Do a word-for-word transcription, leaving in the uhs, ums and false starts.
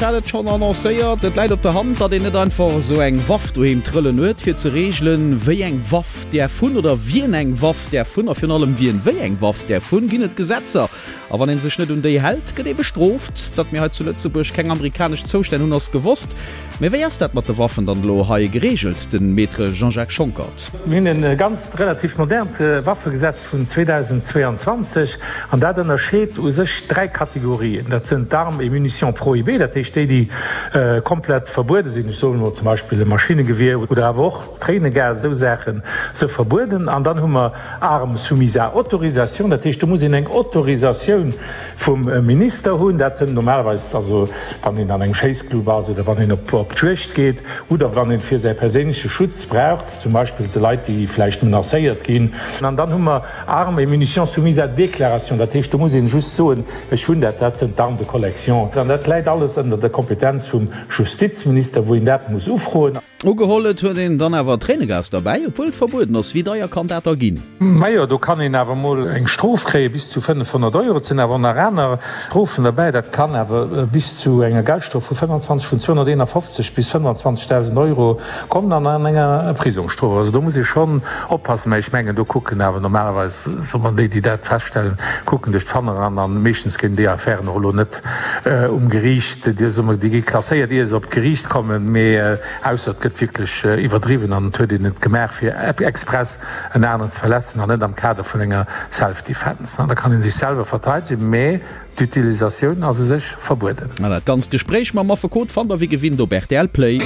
Ech hat et schonn annoncéiert, et läit op der Hand, datt een net einfach esou eng Waff doheem trëllen huet, fir ze reegelen, wéi eng Waff däerf hunn oder wien eng Waff däerf hunn a virun allem wien wéi eng Waff däerf hunn, ginn et Gesetzer. A wann ee sech net un déi hält, gëtt ee bestrooft. Datt mir hei zu Lëtzebuerg keng amerikanesch Zoustänn hunn, ass gewosst. Mee wéi ass dat mat de Waffen dann elo hei gereegelt, de Maître Jean-Jacques Schonckert? Mir hunn e ganzt relativ modernt Waffegesetz vun zweedausendzweeanzwanzeg an dat ënnerscheet u sech dräi Kategorien. Dat sinn d'Armes et munitions prohibées, dat heescht déi, déi komplett verbuede sinn, ech soen elo zum Beispill e Maschinnegewier oder awer och Tréinegas, esou Saache si verbueden. An dann hu mer Armes soumises à autorisation, dat heescht do muss een eng Autorisatioun vum Minister hunn. Dat sinn normalerweis, also wann een an engem Schéissclub ass oder wann een op d'Juegd geet oder wann een fir säi perséinleche Schutz brauch, zum Beispill se Leit, déi vläicht menacéiert ginn. An dann hu mer Armes et munitions soumises à déclaration, dat heescht do muss een just soen, ech hunn dat, dat sinn d'Armes de collection. An dat läit alles ënner der Kompetenz vum Justizminister, wou een dat muss ufroen. Ugeholl, et huet een dann awer Tréinegas derbäi, obwuel et verbueden ass. Wéi deier kann dat da ginn? Majo, do kann een awer mol eng Strof kréie bis zu fënnefhonnert Euro. Et sinn awer och nach aner Strofen derbäi. Dat kann awer bis zu enger Geldstrof vu fënnwanzwanzeg, vun zweehonnerteenafofzeg bis fënnwanzwanzegdausend Euro kommen an an enger Prisongsstrof. Also do muss ee schonn oppassen. Mä ech mengen, do kucken awer normalerweis, soe mer, déi, déi dat feststellen, kucken duerch d'Fanger an a meeschtens ginn déi Affären och elo net um Geriicht, soe mer, déi gi klasséiert, ier se op d'Geriicht kommen. Mee ausser et gëtt wierklech iwwerdriwwen an et huet een et gemaach fir express en aneren ze verletzen an net am Kader vun enger Self-Defense. Da kann ee sech selwer verteidegen, mee d'Utilisatioun ass u sech verbueden. An dat ganzt Gespréich mam Affekot fannt der wéi gewinnt op rtl Play.